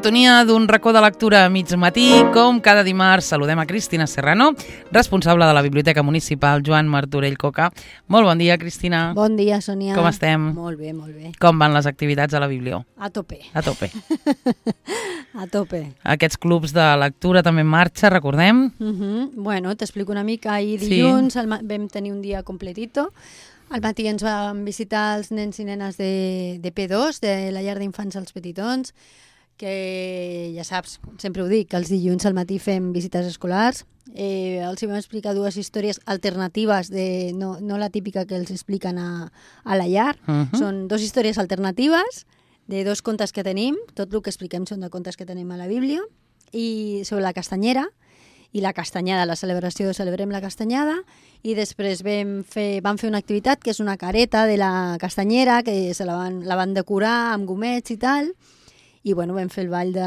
sintonia d'un racó de lectura a mig matí. Com cada dimarts, saludem a Cristina Serrano, responsable de la Biblioteca Municipal Joan Martorell Coca. Molt bon dia, Cristina. Bon dia, Sònia. Com estem? Molt bé, molt bé. Com van les activitats a la Biblio? A tope. A tope. A tope. Aquests clubs de lectura també en marxa, recordem? Bueno, t'explico una mica. Ahir dilluns vam tenir un dia completito. Al matí ens van visitar els nens i nenes de P2, de la llar d'infants als petitons, que ja saps, sempre ho dic, que els dilluns al matí fem visites escolars. Els vam explicar dues històries alternatives, no la típica que els expliquen a la llar. Són dues històries alternatives de dos contes que tenim. Tot el que expliquem són de contes que tenim a la Bíblia, i sobre la castanyera i la castanyada, la celebració de Celebrem la Castanyada, i després vam fer una activitat que és una careta de la castanyera, que la van decorar amb gomets i tal, i bueno, vam fer el ball de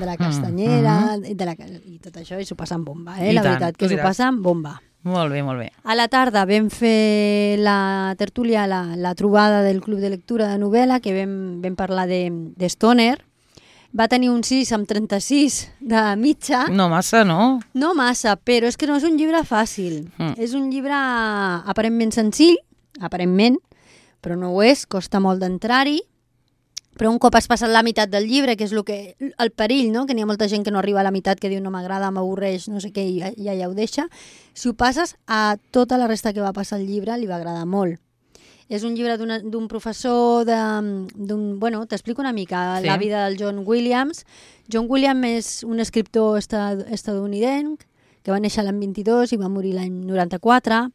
la castanyera i tot això, i s'ho passa amb bomba, la veritat, que s'ho passa amb bomba. Molt bé, molt bé. A la tarda vam fer la tertúlia, la trobada del Club de Lectura de Novel·la, que vam parlar de Stoner. Va tenir un 6 amb 36 de mitja. No massa, no? No massa, però és que no és un llibre fàcil. És un llibre aparentment senzill, aparentment, però no ho és, costa molt d'entrar-hi. Però un cop has passat la meitat del llibre, que és el perill, no? Que n'hi ha molta gent que no arriba a la meitat, que diu no m'agrada, m'avorreix, no sé què, i ja ho deixa. Si ho passes, a tota la resta que va passar el llibre li va agradar molt. És un llibre d'un professor, bueno, t'explico una mica la vida del John Williams. John Williams és un escriptor estadounidenc que va néixer l'any 22 i va morir l'any 94,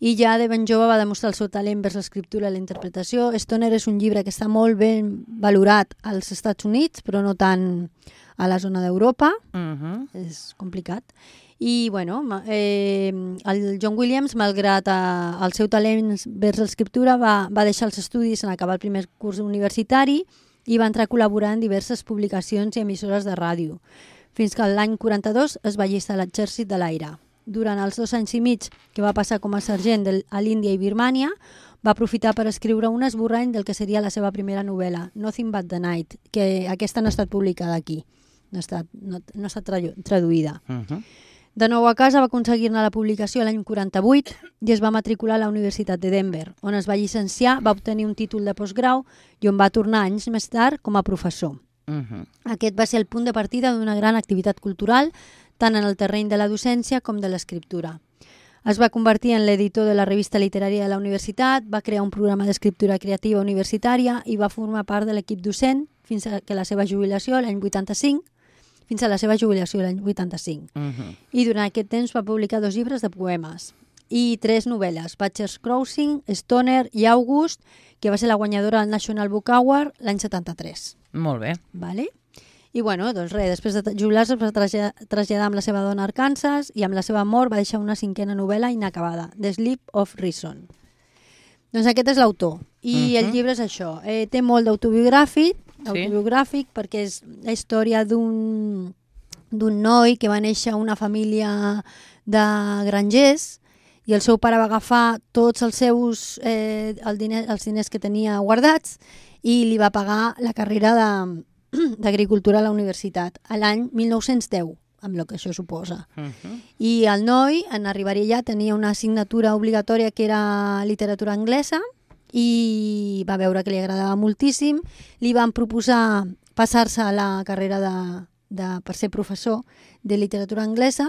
i ja de ben jove va demostrar el seu talent vers l'escriptura i la interpretació. Stoner és un llibre que està molt ben valorat als Estats Units, però no tant a la zona d'Europa. És complicat. I, bueno, el John Williams, malgrat el seu talent vers l'escriptura, va deixar els estudis en acabar el primer curs universitari i va entrar a col·laborar en diverses publicacions i emissores de ràdio, fins que l'any 42 es va allistar a l'exèrcit de l'aire. Durant els 2 anys i mig que va passar com a sergent a l'Índia i Birmània, va aprofitar per escriure un esborrany del que seria la seva primera novel·la, Nothing But the Night, que aquesta no ha estat publicada aquí, no ha estat traduïda. De nou a casa va aconseguir-ne la publicació l'any 48 i es va matricular a la Universitat de Denver, on es va llicenciar, va obtenir un títol de postgrau i on va tornar anys més tard com a professor. Aquest va ser el punt de partida d'una gran activitat cultural, tant en el terreny de la docència com de l'escriptura. Es va convertir en l'editor de la revista literària de la universitat, va crear un programa d'escriptura creativa universitària i va formar part de l'equip docent fins a la seva jubilació l'any 85, I durant aquest temps va publicar 2 llibres de poemes i 3 novel·les, Butcher's Crossing, Stoner i August, que va ser la guanyadora del National Book Award l'any 73. Molt bé. Vale? I bueno, doncs res, després de jubilar-se es va traslladar amb la seva dona a Arkansas i amb la seva mort va deixar una 5a novel·la inacabada, The Sleep of Reason. Doncs aquest és l'autor. I el llibre és això. Té molt d'autobiogràfic, perquè és la història d'un noi que va néixer a una família de grangers i el seu pare va agafar tots els seus els diners que tenia guardats i li va pagar la carrera d'agricultura a la universitat a l'any 1910, amb el que això suposa. I el noi, en arribar allà, tenia una assignatura obligatòria que era literatura anglesa i va veure que li agradava moltíssim. Li van proposar passar-se a la carrera per ser professor de literatura anglesa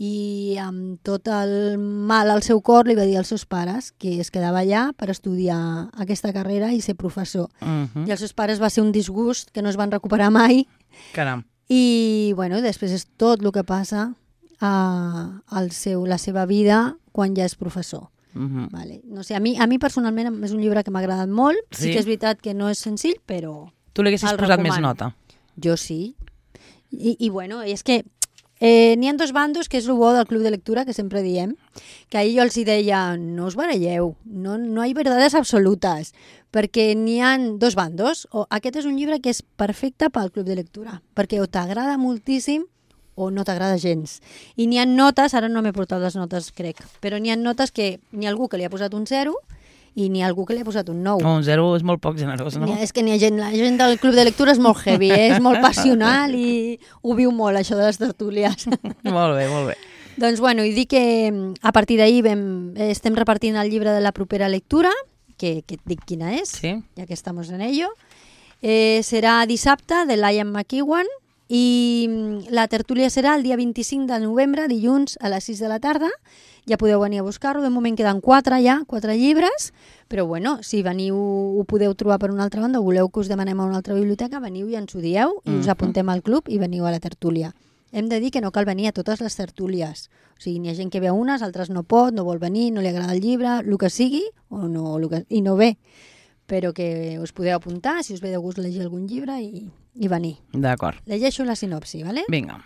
i amb tot el mal al seu cor li va dir als seus pares que es quedava allà per estudiar aquesta carrera i ser professor. I als seus pares va ser un disgust que no es van recuperar mai. Caram. I bueno, després és tot el que passa a la seva vida quan ja és professor. Vale. No sé, a mi personalment és un llibre que m'ha agradat molt. Sí que és veritat que no és senzill, però tu li haguessis posat més nota? Jo sí. I bueno, és que n'hi ha 2 bandos, que és el bo del club de lectura, que sempre diem, que ahir jo els deia, no us baralleu, no hi ha verdades absolutes, perquè n'hi ha 2 bandos. Aquest és un llibre que és perfecte pel club de lectura, perquè o t'agrada moltíssim o no t'agrada gens. I n'hi ha notes, ara no m'he portat les notes, crec, però n'hi ha notes que n'hi ha algú que li ha posat un 0 i n'hi ha algú que li ha posat un 9. Un 0 és molt poc generós, no? És que la gent del club de lectura és molt heavy, és molt passional i ho viu molt, això de les tertúlies. Molt bé, molt bé. Doncs bueno, i dic que a partir d'ahir estem repartint el llibre de la propera lectura, que et dic quina és, Sí. ja que estamos en ello. Serà dissabte, de Liam McEwan, i la tertúlia serà el dia 25 de novembre, dilluns a les 6 de la tarda. Ja podeu venir a buscar-ho, de moment queden 4 llibres, però bueno, si veniu ho podeu trobar per una altra banda o voleu que us demanem a una altra biblioteca, veniu i ens ho dieu i us apuntem al club i veniu a la tertúlia. Hem de dir que no cal venir a totes les tertúlies. O sigui, n'hi ha gent que ve a unes, altres no pot, no vol venir, no li agrada el llibre, el que sigui, i no ve. Però que us podeu apuntar, si us ve de gust llegir algun llibre i venir. D'acord. Llegeixo la sinopsi, ¿vale? Vinga.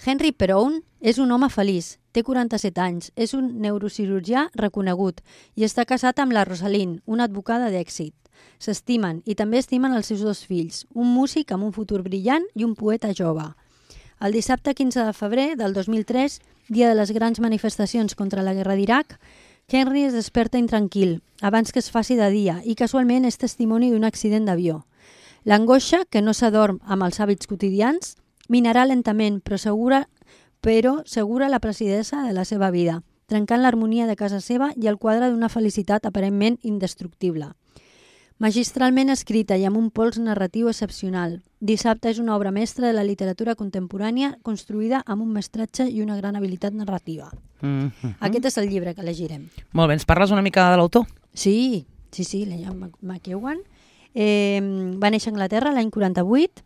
Henry Perowne és un home feliç, té 47 anys, és un neurocirurgià reconegut i està casat amb la Rosalind, una advocada d'èxit. S'estimen i també estimen els seus 2 fills, un músic amb un futur brillant i un poeta jove. El dissabte 15 de febrer del 2003, dia de les grans manifestacions contra la guerra d'Iraq, Henry es desperta intranquil, abans que es faci de dia, i casualment és testimoni d'un accident d'avió. L'angoixa, que no s'adorm amb els hàbits quotidians, minarà lentament, però segura la placidesa de la seva vida, trencant l'harmonia de casa seva i el quadre d'una felicitat aparentment indestructible. Magistralment escrita i amb un pols narratiu excepcional, Dissabte és una obra mestra de la literatura contemporània construïda amb un mestratge i una gran habilitat narrativa. Aquest és el llibre que llegirem. Molt bé, ens parles una mica de l'autor? Sí, Liam McEwan. Va néixer a Anglaterra l'any 48.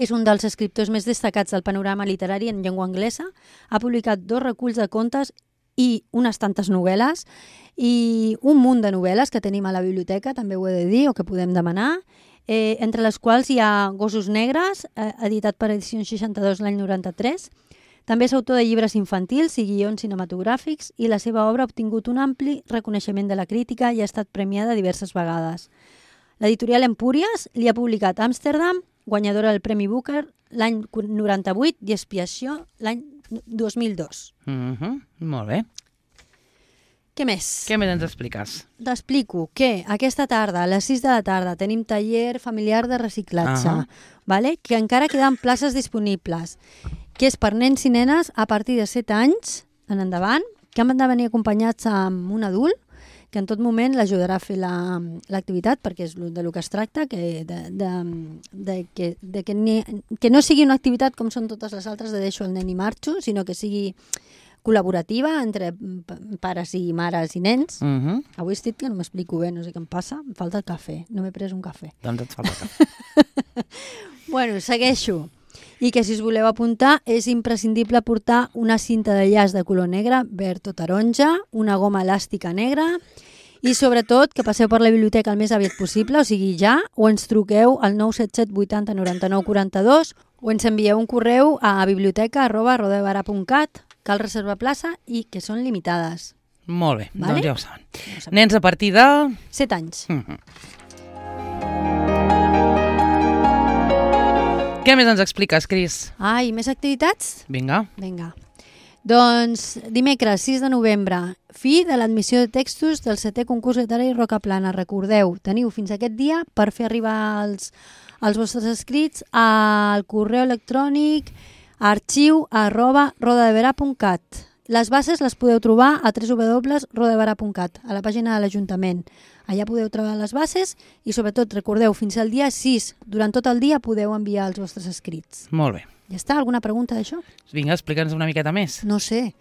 És un dels escriptors més destacats del panorama literari en llengua anglesa. Ha publicat 2 reculls de contes i unes tantes novel·les i un munt de novel·les que tenim a la biblioteca, també ho he de dir, o que podem demanar, entre les quals hi ha Gossos negres, editat per Edicions 62 l'any 93. També és autor de llibres infantils i guions cinematogràfics i la seva obra ha obtingut un ampli reconeixement de la crítica i ha estat premiada diverses vegades. L'editorial Empúries li ha publicat Amsterdam, guanyadora del Premi Booker l'any 98 i Expiació l'any 2002. Molt bé. Què més? Què més ens expliques? T'explico que aquesta tarda, a les 6 de la tarda, tenim taller familiar de reciclatge, vale? Que encara queden places disponibles, que és per nens i nenes a partir de 7 anys en endavant, que han de venir acompanyats amb un adult, que en tot moment l'ajudarà a fer l'activitat, perquè és de lo que es tracta, que no sigui una activitat com són totes les altres de deixo el nen i marxo, sinó que sigui col·laborativa entre pares i mares i nens. Avui estic que no m'explico bé, no sé què em passa, em falta el cafè, no m'he pres un cafè. Doncs et falta el cafè. Bueno, segueixo. I que si us voleu apuntar és imprescindible portar una cinta de llaç de color negre, verd o taronja, una goma elàstica negra i sobretot que passeu per la biblioteca el més aviat possible, o sigui ja, o ens truqueu al 977 80 99 42 o ens envieu un correu a biblioteca@rodadebarà.cat. Cal reservar plaça i que són limitades. Molt bé, vale? Doncs ja ho saben. Nens a partir de 7 anys. Què més ens expliques, Cris? Ai, més activitats? Vinga. Doncs dimecres 6 de novembre, fi de l'admissió de textos del 7è concurs literari Rocaplana. Recordeu, teniu fins aquest dia per fer arribar els vostres escrits al correu electrònic arxiu@rodadebarà.cat. Les bases les podeu trobar a www.rodadebarà.cat, a la pàgina de l'Ajuntament. Allà podeu trobar les bases i sobretot recordeu, fins al dia 6, durant tot el dia podeu enviar els vostres escrits. Molt bé. Ja està? Alguna pregunta d'això? Vinga, explica'ns una miqueta més. No sé.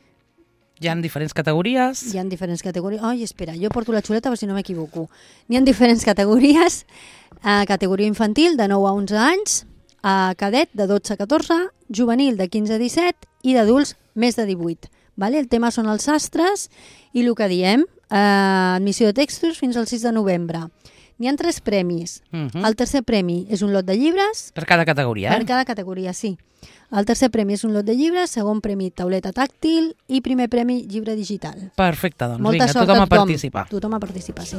Hi ha diferents categories. Hi ha diferents categories. Ai, espera, jo porto la xuleta per si no m'equivoco. N'hi ha diferents categories. Categoria infantil de 9 a 11 anys, cadet de 12 a 14, juvenil de 15 a 17 i d'adults més de 18. Vale? El tema són els sastres i el que diem, admissió de textos fins al 6 de novembre. N'hi ha 3 premis. El tercer premi és un lot de llibres. Per cada categoria, Per cada categoria, sí. El tercer premi és un lot de llibres, segon premi tauleta tàctil i primer premi llibre digital. Perfecte, doncs Molta vinga, sort tothom a participar. Tothom a participar, sí.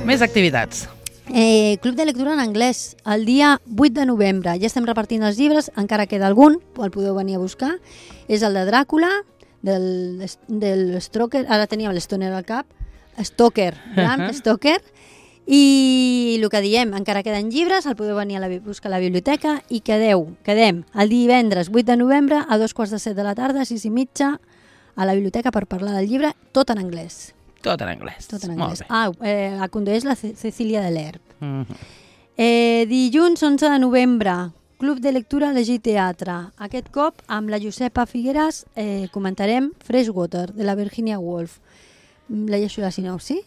Més activitats. Club de lectura en anglès, el dia 8 de novembre. Ja estem repartint els llibres, encara queda algun, el podeu venir a buscar. És el de Dràcula, del Stoker, ara teníem l'Stoner al cap, Bram Stoker, i el que diem, encara queden llibres, el podeu venir a buscar a la biblioteca i quedem el divendres 8 de novembre a 2:15 de la tarda, 6:30, a la biblioteca per parlar del llibre, tot en anglès. Tot en anglès. Molt bé. La condueix la Cecília de l'Herb. Dilluns 11 de novembre, Club de Lectura Llegir Teatre. Aquest cop, amb la Josepa Figueras, comentarem Freshwater, de la Virginia Woolf. Llegeixo la sinopsi.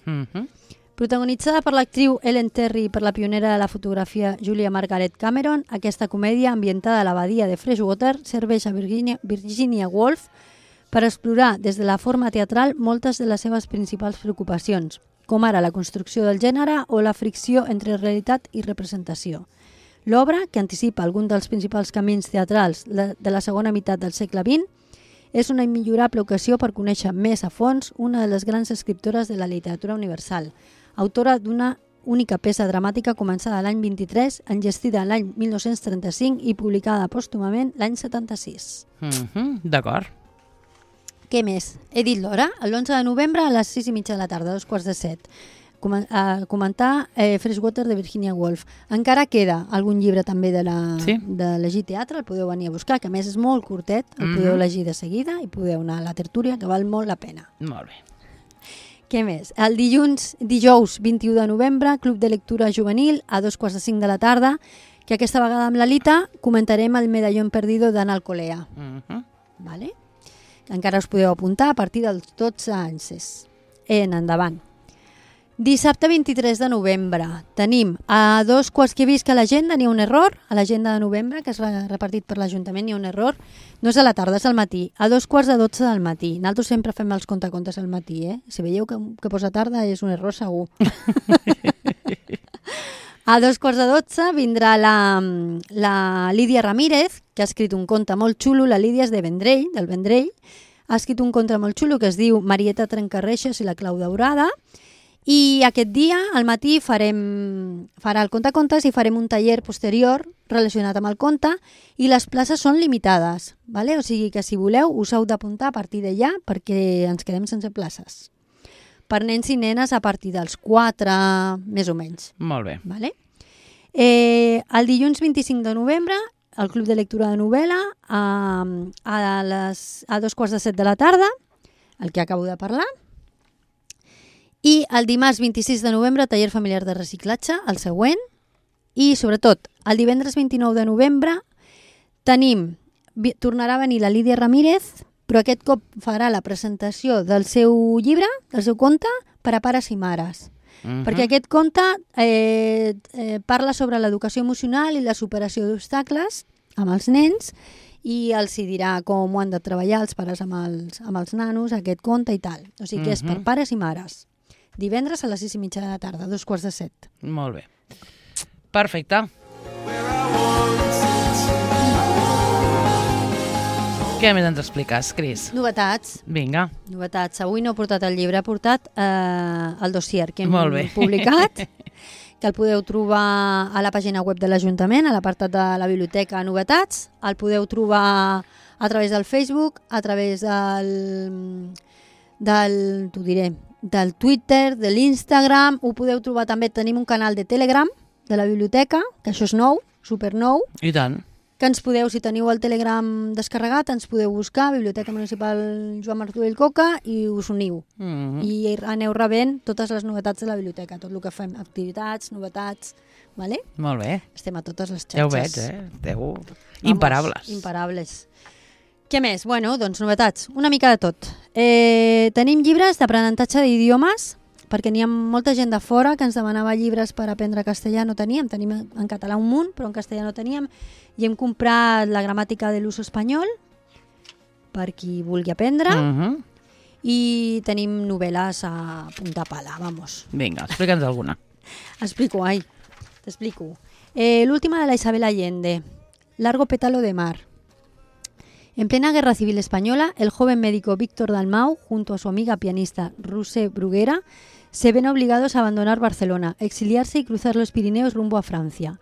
Protagonitzada per l'actriu Ellen Terry i per la pionera de la fotografia Julia Margaret Cameron, aquesta comèdia ambientada a l'abadia de Freshwater serveix a Virginia Woolf per explorar des de la forma teatral moltes de les seves principals preocupacions, com ara la construcció del gènere o la fricció entre realitat i representació. L'obra, que anticipa algun dels principals camins teatrals de la segona meitat del segle XX, és una immillorable ocasió per conèixer més a fons una de les grans escriptores de la literatura universal, autora d'una única peça dramàtica començada l'any 23, enllestida l'any 1935 i publicada pòstumament l'any 76. D'acord. Què més? He dit l'hora, l'11 de novembre a les 6:30 de la tarda, 6:45. Comentar Freshwater de Virginia Woolf. Encara queda algun llibre també de Llegir Teatre, el podeu venir a buscar, que a més és molt curtet, el podeu llegir de seguida i podeu anar a la tertúlia, que val molt la pena. Molt bé. Què més? El dijous 21 de novembre, Club de Lectura Juvenil, a 2:45 de la tarda, que aquesta vegada amb l'Alita comentarem el Medallón Perdido d'Anna Alcolea. Vale? Encara us podeu apuntar a partir dels 12 anys. Endavant. Dissabte 23 de novembre tenim a 2:15 que he vist que a l'agenda n'hi ha un error, a l'agenda de novembre que es va repartit per l'Ajuntament n'hi ha un error, no és a la tarda, és al matí, a 2:15 del matí. Nosaltres sempre fem els contacontes al matí, Si veieu que posa tarda és un error segur. A 2:15 vindrà la Lídia Ramírez, que ha escrit un conte molt xulo, la Lídia és del Vendrell, ha escrit un conte molt xulo que es diu Marieta Trencarreixes i la clau daurada, i aquest dia, al matí, farà el contacontes i farem un taller posterior relacionat amb el conte i les places són limitades, ¿vale? O sigui que si voleu us heu d'apuntar a partir d'allà perquè ens quedem sense places. Per nens i nenes a partir dels 4, més o menys. Molt bé. ¿Vale? El dilluns 25 de novembre, el Club de Lectura de Novel·la, a 2:15 de la tarda, el que acabo de parlar. I el dimarts 26 de novembre, taller familiar de reciclatge, el següent. I, sobretot, el divendres 29 de novembre tornarà a venir la Lídia Ramírez, però aquest cop farà la presentació del seu llibre, del seu conte, per a pares i mares. Perquè aquest conte parla sobre l'educació emocional i la superació d'obstacles amb els nens i els hi dirà com ho han de treballar els pares amb els nanos, aquest conte i tal. O sigui que és per pares i mares. Divendres a les 6:30 de la tarda, 6:15. Molt bé. Perfecte. Què més ens expliques, Cris? Novetats. Vinga. Novetats. Avui no he portat el llibre, he portat el dossier que hem publicat, que el podeu trobar a la pàgina web de l'Ajuntament, a l'apartat de la biblioteca Novetats. El podeu trobar a través del Facebook, a través del Twitter, de l'Instagram, ho podeu trobar també, tenim un canal de Telegram de la biblioteca, que això és nou, super nou. I tant. Que ens podeu, si teniu el Telegram descarregat, ens podeu buscar, Biblioteca Municipal Joan Martorell Coca, i us uniu. I aneu rebent totes les novetats de la biblioteca, tot el que fem, activitats, novetats, vale? Molt bé. Estem a totes les xarxes. Ja ho veig, Esteu imparables. Imparables. Què més? Bueno, doncs novetats, una mica de tot. Tenim llibres d'aprenentatge d'idiomes, perquè n'hi ha molta gent de fora que ens demanava llibres per aprendre castellà, no teníem en català un munt, però en castellà no teníem, i hem comprat la gramàtica de l'ús espanyol, per qui vulgui aprendre, i tenim novel·les a punta pala, vamos. Vinga, explica'ns alguna. T'explico. L'última de la Isabel Allende, Largo pétalo de mar. En plena Guerra Civil Española, el joven médico Víctor Dalmau, junto a su amiga pianista Ruse Bruguera, se ven obligados a abandonar Barcelona, exiliarse y cruzar los Pirineos rumbo a Francia.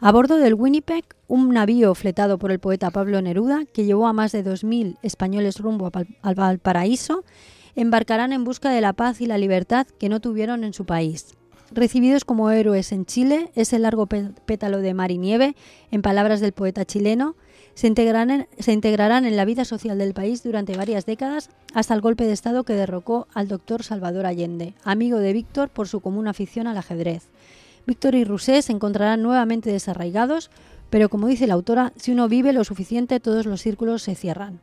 A bordo del Winnipeg, un navío fletado por el poeta Pablo Neruda, que llevó a más de 2.000 españoles rumbo al Valparaíso, embarcarán en busca de la paz y la libertad que no tuvieron en su país. Recibidos como héroes en Chile, ese largo pétalo de mar y nieve, en palabras del poeta chileno, se integrarán en la vida social del país durante varias décadas hasta el golpe de Estado que derrocó al doctor Salvador Allende, amigo de Víctor por su común afición al ajedrez. Víctor y Rousseau se encontrarán nuevamente desarraigados, pero como dice la autora, si uno vive lo suficiente, todos los círculos se cierran.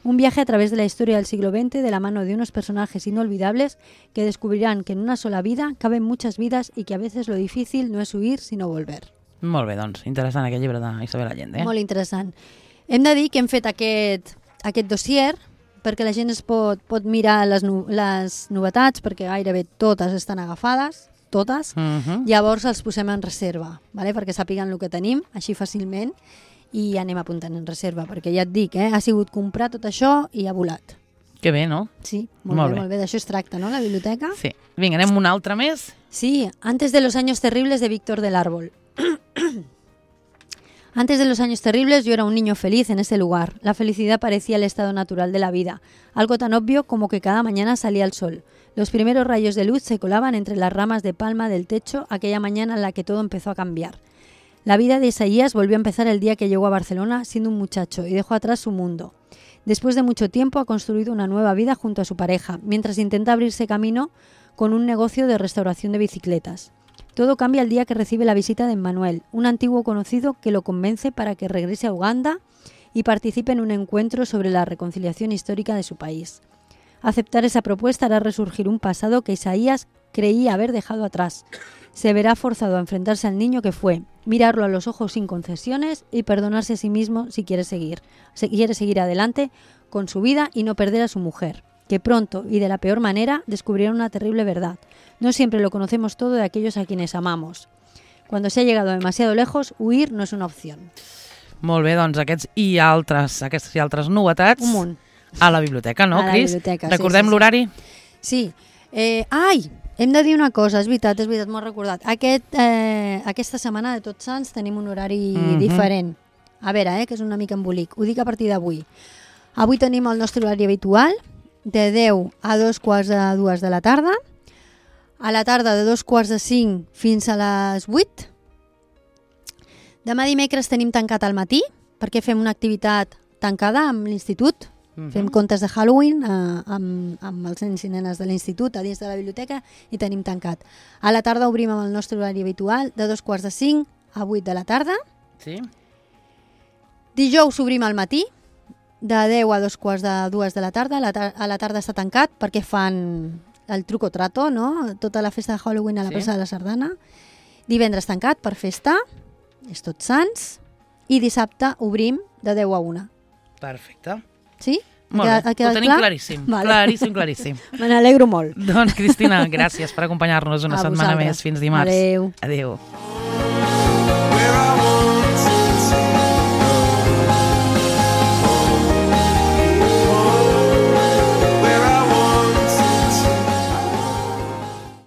Un viaje a través de la historia del siglo XX de la mano de unos personajes inolvidables que descubrirán que en una sola vida caben muchas vidas i que a veces lo difícil no és huir, sinó volver. Molt bé, doncs, interessant aquest llibre d'Isabel Allende. Molt interessant. Hem de dir que hem fet aquest dossier perquè la gent es pot mirar les novetats, perquè gairebé totes estan agafades, totes, llavors els posem en reserva, vale? Perquè sàpiguen el que tenim, així fàcilment, i anem apuntant en reserva, perquè ja et dic, ha sigut comprar tot això i ha volat. Que bé, no? Sí, molt bé. D'això es tracta, no?, la biblioteca. Sí. Vinga, anem un altre més? Sí, Antes de los años terribles de Víctor del Árbol. Antes de los años terribles yo era un niño feliz en ese lugar. La felicidad parecía el estado natural de la vida, algo tan obvio como que cada mañana salía el sol. Los primeros rayos de luz se colaban entre las ramas de palma del techo aquella mañana en la que todo empezó a cambiar. La vida de Isaías volvió a empezar el día que llegó a Barcelona siendo un muchacho y dejó atrás su mundo. Después de mucho tiempo ha construido una nueva vida junto a su pareja, mientras intenta abrirse camino con un negocio de restauración de bicicletas. Todo cambia el día que recibe la visita de Emmanuel, un antiguo conocido que lo convence para que regrese a Uganda y participe en un encuentro sobre la reconciliación histórica de su país. Aceptar esa propuesta hará resurgir un pasado que Isaías creía haber dejado atrás. Se verá forzado a enfrentarse al niño que fue, mirarlo a los ojos sin concesiones y perdonarse a sí mismo si quiere seguir adelante con su vida y no perder a su mujer, que pronto y de la peor manera descubrieron una terrible verdad. No siempre lo conocemos todo de aquellos a quienes amamos. Cuando se ha llegado demasiado lejos, huir no és una opció. Molt bé, doncs aquestes i altres novetats a la biblioteca, no, Cris? Recordem l'horari? Sí. Hem de dir una cosa, és veritat, m'ho he recordat. Aquesta setmana de Tots Sants tenim un horari diferent. A veure, que és una mica embolic. Ho dic a partir d'avui. Avui tenim el nostre horari habitual, de 10 a 2:45 de la tarda. A la tarda de 2:45 fins a les 8. Demà dimecres tenim tancat al matí, perquè fem una activitat tancada amb l'institut. Fem contes de Halloween amb els nens i nenes de l'institut a dins de la biblioteca i tenim tancat. A la tarda obrim amb el nostre horari habitual de 2:45 a 8 de la tarda. Sí. Dijous obrim al matí, de 10 a 2:45 de la tarda. A la tarda està tancat perquè fan el truc o trato, no? Tota la festa de Halloween a la plaça de la Sardana. Divendres tancat per festa, és Tots Sants, i dissabte obrim de 10 a 1. Perfecte. Sí? Molt bé, ho tenim claríssim. Vale. Claríssim. Me n'alegro molt. Doncs, Cristina, gràcies per acompanyar-nos una setmana més. Fins dimarts. Adéu. Adéu.